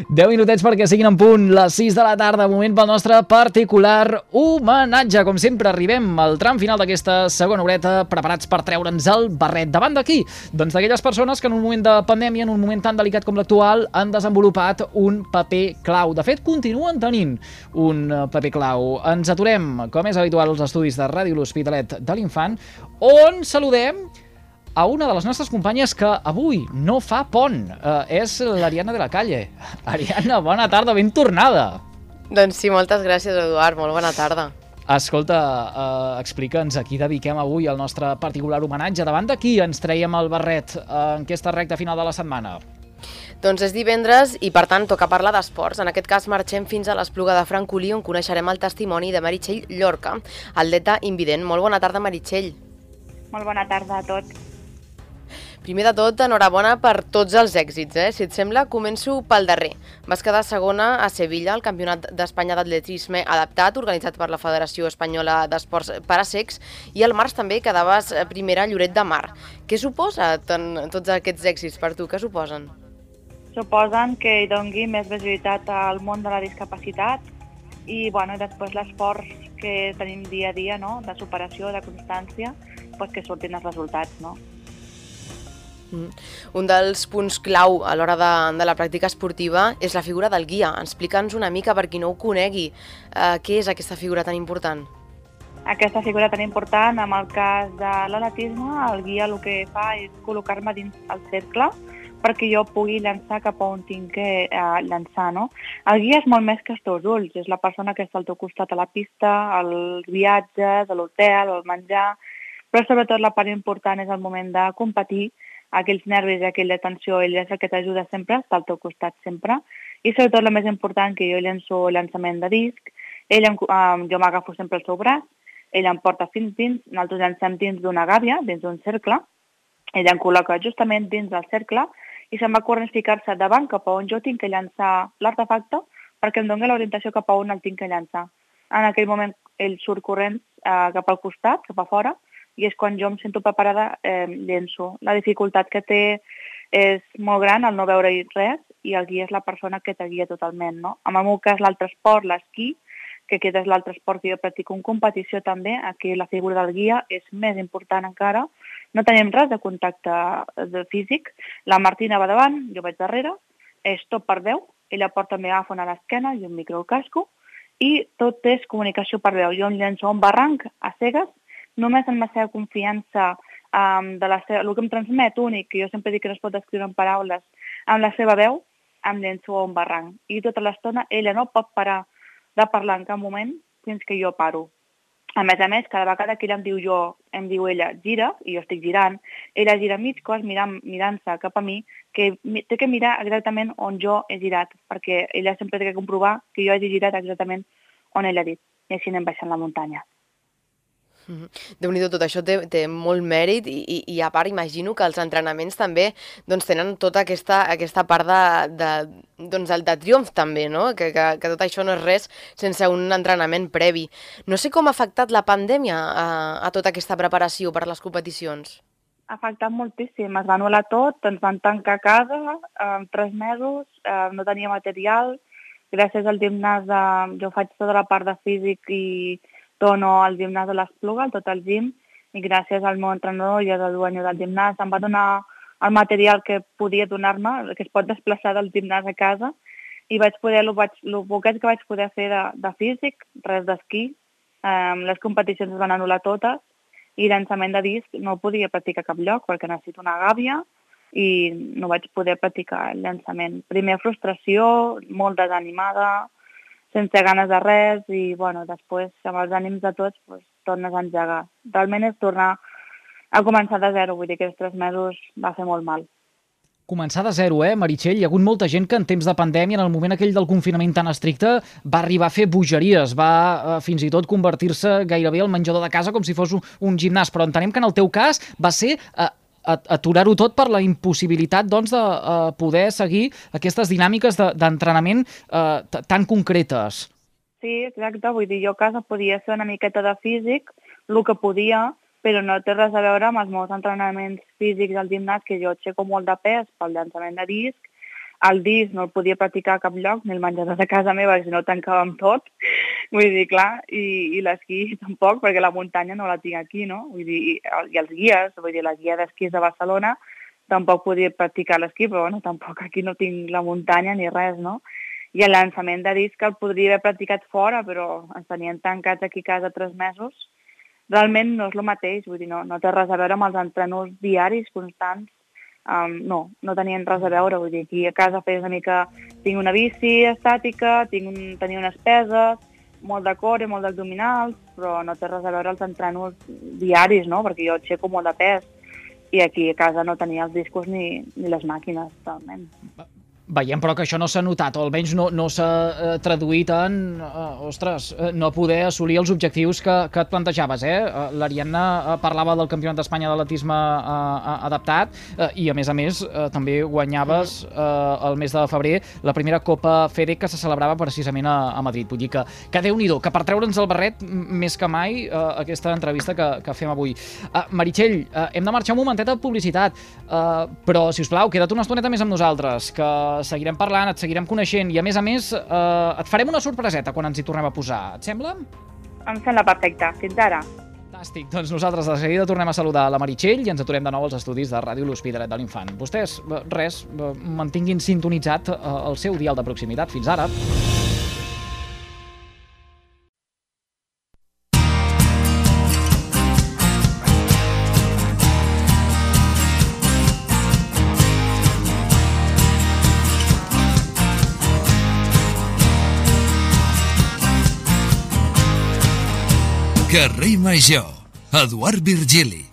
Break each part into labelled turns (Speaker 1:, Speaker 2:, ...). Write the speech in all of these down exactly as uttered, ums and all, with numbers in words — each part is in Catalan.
Speaker 1: deu minutets perquè siguin en punt les sis de la tarda, moment pel nostre particular homenatge. Com sempre, arribem al tram final d'aquesta segona horeta, preparats per treure'ns el barret. Davant d'aquí, doncs d'aquelles persones que en un moment de pandèmia, en un moment tan delicat com l'actual, han desenvolupat un paper clau. De fet, continuen tenint un paper clau. Ens aturem, com és habitual, als estudis de Ràdio L'Hospitalet de l'Infant, on saludem a una de les nostres companyes que avui no fa pont. Uh, és l'Ariana de la Calle. Ariana, bona tarda, ben tornada.
Speaker 2: Doncs sí, moltes gràcies, Eduard, molt bona tarda.
Speaker 1: Escolta, uh, explica'ns a qui dediquem avui el nostre particular homenatge. Davant de qui ens traiem el barret en aquesta recta final de la setmana?
Speaker 2: Doncs és divendres i, per tant, toca parlar d'esports. En aquest cas, marxem fins a l'Espluga de Francolí, on coneixerem el testimoni de Meritxell Llorca, atleta invident. Molt bona tarda, Meritxell.
Speaker 3: Molt bona tarda a tots.
Speaker 2: Primer de tot, enhorabona per tots els èxits. Eh? Si et sembla, començo pel darrer. Vas quedar segona a Sevilla, al Campionat d'Espanya d'Atletisme adaptat, organitzat per la Federació Espanyola d'Esports per a Cecs, i al març també quedaves primera a Lloret de Mar. Què suposa tots aquests èxits per tu? Què suposen?
Speaker 3: Suposen que hi doni més visibilitat al món de la discapacitat i bueno, després l'esforç que tenim dia a dia, no? De superació, de constància, pues que surtin els resultats, no?
Speaker 2: Mm. Un dels punts clau a l'hora de, de la pràctica esportiva és la figura del guia. Explica'ns una mica, per qui no ho conegui, eh, què és aquesta figura tan important?
Speaker 3: Aquesta figura tan important, en el cas de l'atletisme, el guia el que fa és col·locar-me dins el cercle perquè jo pugui llançar cap a on tinc que eh, llançar, no? El guia és molt més que els teus ulls, és la persona que està al teu costat a la pista, els viatges, a l'hotel, el menjar, però sobretot la part important és el moment de competir, aquells nervis i aquella tensió, ell és el que t'ajuda sempre, està al teu costat sempre, i sobretot el més important, que jo llenço llançament de disc, ell em, eh, jo m'agafo sempre el seu braç, ell em porta fins dins, nosaltres llancem dins d'una gàbia, dins d'un cercle, ell em col·loca justament dins del cercle, i se'n va corrent ficar-se davant cap a on jo tinc que llançar l'artefacte, perquè em doni l'orientació cap a on el tinc que llançar. En aquell moment ell surt corrent eh, cap al costat, cap a fora, i és quan jo em sento preparada, eh, llenço. La dificultat que té és molt gran, el no veure-hi res, i el guia és la persona que te guia totalment, no? En el meu cas, l'altre esport, l'esquí, que aquest és l'altre esport que jo practico en competició també, aquí la figura del guia és més important encara. No tenim res de contacte de físic. La Martina va davant, jo vaig darrere, és tot per veu, ella porta el megàfon a l'esquena i un micro al casco, i tot és comunicació per veu. Jo em llenço a un barranc a cegues, només amb la seva confiança, um, de la seva, el que em transmet únic, que jo sempre dic que no es pot descriure en paraules, amb la seva veu, em llenço a un barranc. I tota l'estona ella no pot parar de parlar en cap moment fins que jo paro. A més a més, cada vegada que ella em diu jo, em diu ella, gira, i jo estic girant, ella gira mig cos mirant, mirant-se cap a mi, que té que mirar exactament on jo he girat, perquè ella sempre té que comprovar que jo hagi girat exactament on ella ha dit, i així anem baixant la muntanya.
Speaker 2: Déu-n'hi-do, tot això té, té molt mèrit i, i, i a part imagino que els entrenaments també doncs, tenen tota aquesta, aquesta part de, de, doncs, de triomf també, no? Que, que, que tot això no és res sense un entrenament previ. No sé com ha afectat la pandèmia a, a tota aquesta preparació per a les competicions.
Speaker 3: Ha afectat moltíssim, es va anul·lar tot, ens van tancar a casa en tres mesos, eh, no tenia material, gràcies al gimnàs, de, jo faig tota la part de físic i dono al gimnàs de l'Espluga, tot el gim, i gràcies al meu entrenador i al dueño del gimnàs em va donar el material que podia donar-me, que es pot desplaçar del gimnàs a casa, i vaig poder, el, vaig, el poquet que vaig poder fer de, de físic, res d'esquí, um, les competicions es van anul·lar totes, i llançament de disc no podia practicar a cap lloc, perquè necessito una gàbia, i no vaig poder practicar el llançament. Primer frustració, molt desanimada, sense ganes de res, i bueno, després, amb els ànims de tots, pues, tornes a engegar. Realment és tornar a començar de zero, vull dir que els tres mesos va fer molt mal.
Speaker 1: Començar de zero, eh, Meritxell? Hi ha hagut molta gent que en temps de pandèmia, en el moment aquell del confinament tan estricte, va arribar a fer bogeries, va eh, fins i tot convertir-se gairebé al menjador de casa com si fos un, un gimnàs, però entenem que en el teu cas va ser eh, aturar-ho tot per la impossibilitat doncs, de uh, poder seguir aquestes dinàmiques d'entrenament de, uh, tan concretes.
Speaker 3: Sí, exacte. Vull dir, jo a casa podia fer una miqueta de físic, el que podia, però no té res a veure amb els meus entrenaments físics al gimnàs, que jo aixeco molt de pes pel llançament de disc, el disc no el podia practicar a cap lloc, ni el menjador de casa meva, si no tancàvem tot. Vull dir, clar, i, i l'esquí tampoc, perquè la muntanya no la tinc aquí, no? Vull dir, i, i els guies, vull dir, la guia d'esquís de Barcelona tampoc podia practicar l'esquí, però bueno, tampoc aquí no tinc la muntanya ni res, no? I el llançament de disc el podria haver practicat fora, però ens tenien tancats aquí a casa tres mesos. Realment no és el mateix, vull dir, no, no té res a veure amb els entrenos diaris constants. Um, no, no tenien res a veure, vull dir, aquí a casa feia una mica... Tinc una bici estàtica, tinc un, tenia unes peses, molt de core, molt d'abdominals, però no té res a veure els entrenos diaris, no?, perquè jo aixeco molt de pes i aquí a casa no tenia els discos ni, ni les màquines, totalment.
Speaker 1: Veiem, però, que això no s'ha notat, o almenys no, no s'ha eh, traduït en, eh, ostres, eh, no poder assolir els objectius que, que et plantejaves, eh? L'Ariadna eh, parlava del Campionat d'Espanya d'atletisme eh, adaptat eh, i, a més a més, eh, també guanyaves eh, el mes de febrer la primera Copa FEDEC que se celebrava precisament a, a Madrid. Vull dir que, que Déu-n'hi-do, que per treure'ns el barret, més que mai, eh, aquesta entrevista que, que fem avui. Eh, Meritxell, eh, hem de marxar un momentet de publicitat, eh, però, si us plau, queda't una estoneta més amb nosaltres, que seguirem parlant, et seguirem coneixent i, a més a més, eh, et farem una sorpreseta quan ens hi tornem a posar. Et sembla?
Speaker 3: Em sembla perfecte. Fins ara.
Speaker 1: Fantàstic. Doncs nosaltres de seguida tornem a saludar la Meritxell i ens aturem de nou als estudis de Ràdio L'Hospitalet de l'Infant. Vostès, res, mantinguin sintonitzat el seu dial de proximitat. Fins ara.
Speaker 4: Carrer Major, Eduard Virgili.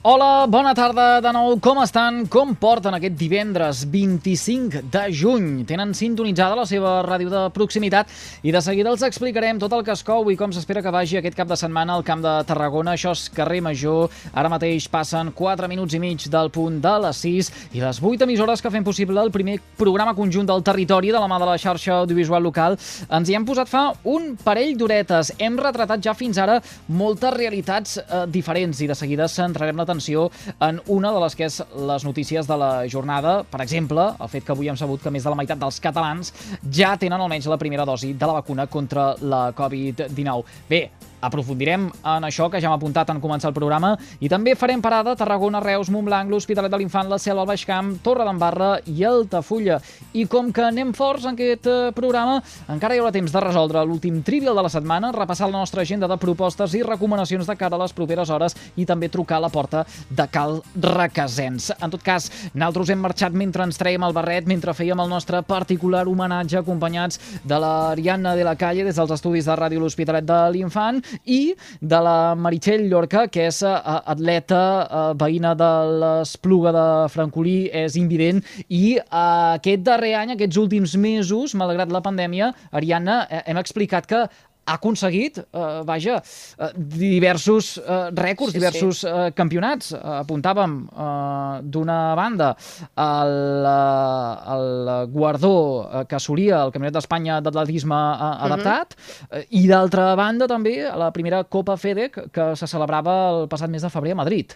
Speaker 1: Hola, bona tarda de nou. Com estan? Com porten aquest divendres vint-i-cinc de juny? Tenen sintonitzada la seva ràdio de proximitat i de seguida els explicarem tot el que es cou i com s'espera que vagi aquest cap de setmana al Camp de Tarragona. Això és Carrer Major. Ara mateix passen quatre minuts i mig del punt de les sis i les vuit emissores que fem possible el primer programa conjunt del territori de la mà de la xarxa audiovisual local. Ens hi hem posat fa un parell d'horetes. Hem retratat ja fins ara moltes realitats eh, diferents i de seguida centrarem la en una de les que és les notícies de la jornada. Per exemple, el fet que avui hem sabut que més de la meitat dels catalans ja tenen almenys la primera dosi de la vacuna contra la covid dinou. Bé, aprofundirem en això que ja hem apuntat en començar el programa i també farem parada a Tarragona, Reus, Montblanc, l'Hospitalet de l'Infant, la Selva, el Baix Camp, Torredembarra i Altafulla. I com que anem forts en aquest programa, encara hi haurà temps de resoldre l'últim trivial de la setmana, repassar la nostra agenda de propostes i recomanacions de cara a les properes hores i també trucar a la porta de Cal Requesens. En tot cas, nosaltres hem marxat mentre ens traiem el barret, mentre fèiem el nostre particular homenatge acompanyats de l'Ariadna de la Calle des dels estudis de Ràdio L'Hospitalet de l'Infant i de la Meritxell Llorca, que és uh, atleta, uh, veïna de l'Espluga de Francolí, és invident, i uh, aquest darrer any, aquests últims mesos, malgrat la pandèmia, Ariadna, eh, hem explicat que ha aconseguit, eh, vaja, eh, diversos eh, rècords, sí, diversos sí. Eh, campionats. Eh, apuntàvem eh, d'una banda el, eh, el guardó eh, que assolia el Campionat d'Espanya d'atletisme eh, adaptat uh-huh. eh, i d'altra banda també la primera Copa FEDEC que se celebrava el passat mes de febrer a Madrid.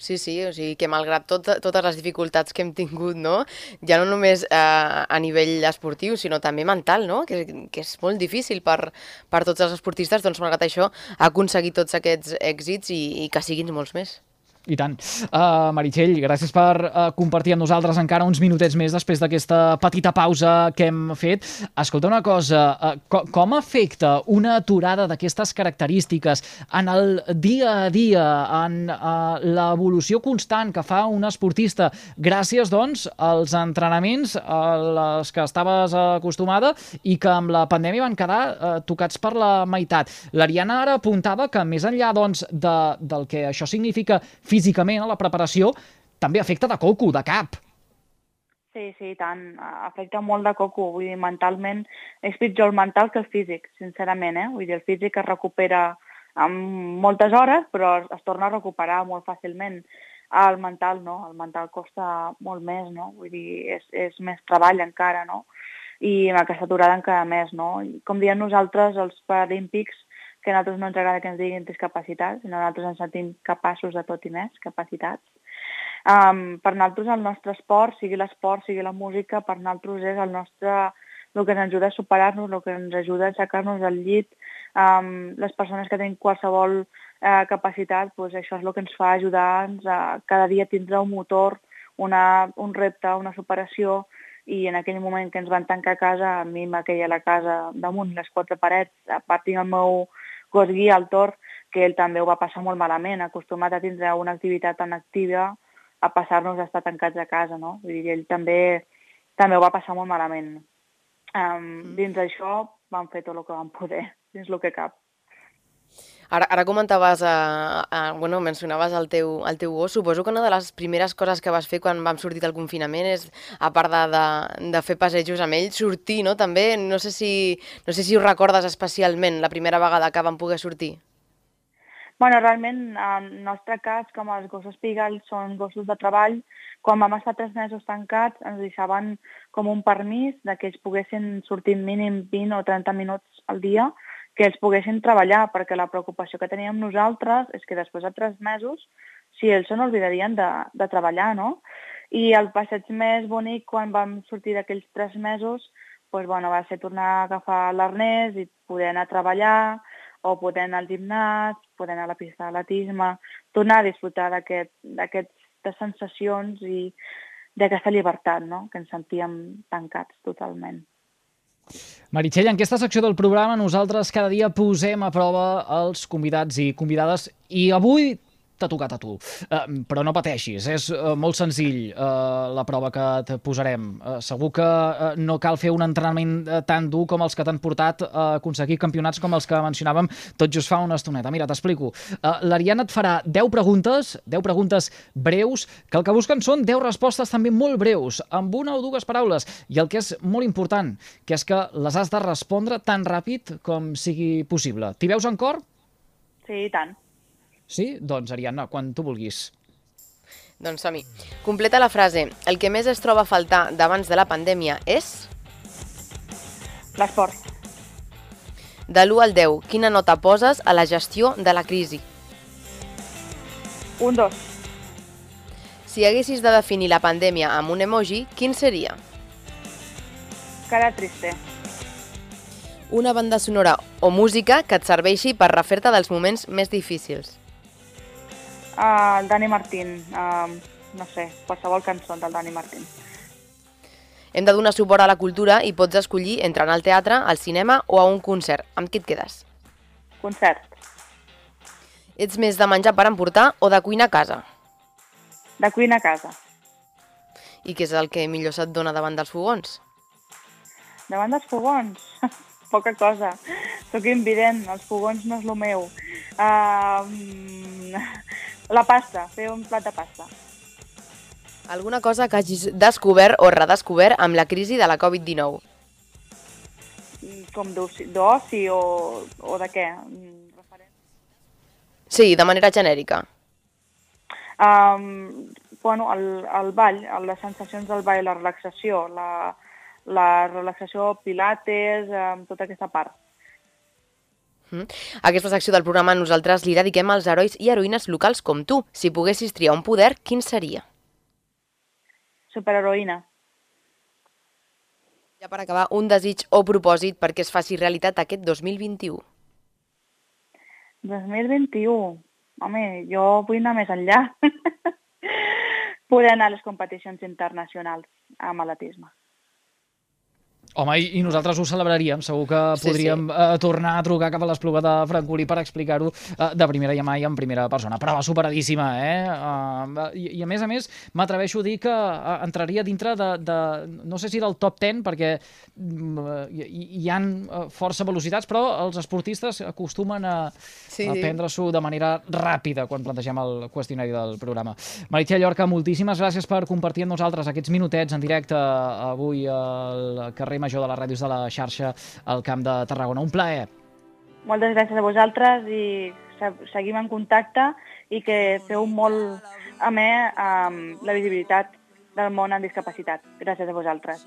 Speaker 2: Sí, sí, o sigui que malgrat tot, totes les dificultats que hem tingut, no? Ja no només eh, a nivell esportiu, sinó també mental, no? Que, que és molt difícil per, per tots els esportistes, doncs malgrat això ha aconseguit tots aquests èxits i, i que siguin molts més.
Speaker 1: I tant. Uh, Meritxell, gràcies per uh, compartir amb nosaltres encara uns minutets més després d'aquesta petita pausa que hem fet. Escolta una cosa, uh, co com afecta una aturada d'aquestes característiques en el dia a dia, en uh, l'evolució constant que fa un esportista, gràcies, doncs, als entrenaments a les que estaves acostumada i que amb la pandèmia van quedar uh, tocats per la meitat. L'Ariadna ara apuntava que més enllà, doncs, de, del que això significa físicament a la preparació, també afecta de coco, de cap.
Speaker 3: Sí, sí, tant. Afecta molt de coco. Vull dir, mentalment és pitjor el mental que el físic, sincerament, eh? Vull dir, el físic es recupera en moltes hores, però es torna a recuperar molt fàcilment. El mental no, el mental costa molt més, no? Vull dir, és, és més treball encara, no? I amb aquesta aturada encara més, no? Com diem nosaltres, els paralímpics, que a nosaltres no ens agrada que ens diguin discapacitats, sinó nosaltres ens sentim capaços de tot i més, capacitats. Um, per nosaltres el nostre esport, sigui l'esport, sigui la música, per nosaltres és el nostre, el que ens ajuda a superar-nos, el que ens ajuda a aixecar-nos del llit. Um, les persones que tenen qualsevol uh, capacitat, doncs això és el que ens fa ajudar-nos a cada dia tindre un motor, una, un repte, una superació, i en aquell moment que ens van tancar a casa, a mi me queia la casa damunt les quatre parets, a part tinc el meu gos guia, el Tor, que ell també ho va passar molt malament, acostumat a tindre una activitat tan activa, a passar-nos a estar tancats a casa, no? Vull dir, ell també, també ho va passar molt malament. Um, dins d'això vam fer tot el que vam poder, dins el que cap.
Speaker 2: Ara, ara comentaves, uh, uh, bueno, mencionaves el teu, el teu gos. Suposo que una de les primeres coses que vas fer quan vam sortir del confinament és, a part de, de, de fer passejos amb ell, sortir, no? També, no sé si, no sé si ho recordes especialment, la primera vegada que vam poder sortir.
Speaker 3: Bueno, realment, en el nostre cas, com els gossos Pigalle són gossos de treball, quan vam estar tres mesos tancats ens deixaven com un permís de que ells poguessin sortir mínim vint o trenta minuts al dia, que ells poguessin treballar, perquè la preocupació que teníem nosaltres és que després de tres mesos, si ells se n'oblidarien de, de treballar, no? I el passeig més bonic quan vam sortir d'aquells tres mesos doncs, bueno, va ser tornar a agafar l'arnès i poder anar a treballar, o poder anar al gimnàs, poder anar a la pista d'atletisme, tornar a disfrutar d'aquestes sensacions i d'aquesta llibertat, no? Que ens sentíem tancats totalment.
Speaker 1: Meritxell, en aquesta secció del programa nosaltres cada dia posem a prova els convidats i convidades i avui t'ha tocat a tu. Uh, però no pateixis, és uh, molt senzill uh, la prova que et posarem. Uh, segur que uh, no cal fer un entrenament uh, tan dur com els que t'han portat a aconseguir campionats com els que mencionàvem tot just fa una estoneta. Mira, t'explico. Uh, L'Ariadna et farà deu preguntes, deu preguntes breus, que el que busquen són deu respostes també molt breus, amb una o dues paraules. I el que és molt important, que és que les has de respondre tan ràpid com sigui possible. T'hi veus en cor?
Speaker 3: Sí, i tant.
Speaker 1: Sí? Doncs, Ariadna, quan tu vulguis.
Speaker 2: Doncs som-hi. Completa la frase. El que més es troba a faltar d'abans de la pandèmia és...
Speaker 3: L'esport.
Speaker 2: De l'u al deu, quina nota poses a la gestió de la crisi?
Speaker 3: Un, dos.
Speaker 2: Si haguessis de definir la pandèmia amb un emoji, quin seria?
Speaker 3: Cara triste.
Speaker 2: Una banda sonora o música que et serveixi per refer-te dels moments més difícils.
Speaker 3: Uh, el Dani Martín, uh, no sé, qualsevol cançó del Dani Martín.
Speaker 2: Hem de donar suport a la cultura i pots escollir entre anar al teatre, al cinema o a un concert. Amb qui et quedes?
Speaker 3: Concert.
Speaker 2: Ets més de menjar per emportar o de cuinar a casa?
Speaker 3: De cuina a casa.
Speaker 2: I què és el que millor se't dona davant dels fogons?
Speaker 3: Davant dels fogons? Poca cosa. Soc invident, els fogons no és el meu. Uh, la pasta, fer un plat de pasta.
Speaker 2: Alguna cosa que hagis descobert o redescobert amb la crisi de la Covid dinou?
Speaker 3: Com d'oci o, o de què?
Speaker 2: Sí, de manera genèrica.
Speaker 3: Um, bueno, el, el ball, les sensacions del ball, la relaxació, la, la relaxació, pilates, um, tota aquesta part.
Speaker 2: Mm. Aquesta secció del programa nosaltres li dediquem als herois i heroïnes locals com tu. Si poguessis triar un poder, quin seria?
Speaker 3: Superheroïna.
Speaker 2: Ja per acabar, un desig o propòsit perquè es faci realitat aquest dos mil vint-i-u.
Speaker 3: dos mil vint-i-u? Home, jo vull anar més enllà. Poder anar a les competicions internacionals amb atletisme.
Speaker 1: Home, i nosaltres ho celebraríem. Segur que
Speaker 2: sí,
Speaker 1: podríem
Speaker 2: sí.
Speaker 1: Eh, tornar a trucar cap a l'Espluga de Francolí per explicar-ho eh, de primera mà i en primera persona. Prova superadíssima, eh? Uh, i, I a més a més, m'atreveixo a dir que uh, entraria dintre de, de, no sé si del top deu, perquè uh, hi, hi ha uh, força velocitats, però els esportistes acostumen a,
Speaker 2: sí,
Speaker 1: a prendre-s'ho de manera ràpida quan plantegem el qüestionari del programa. Meritxell Llorca, moltíssimes gràcies per compartir amb nosaltres aquests minutets en directe avui al carrer Major de les ràdios de la xarxa al Camp de Tarragona. Un plaer.
Speaker 3: Moltes gràcies a vosaltres i seguim en contacte i que feu molt amè amb la visibilitat del món amb discapacitat. Gràcies a vosaltres.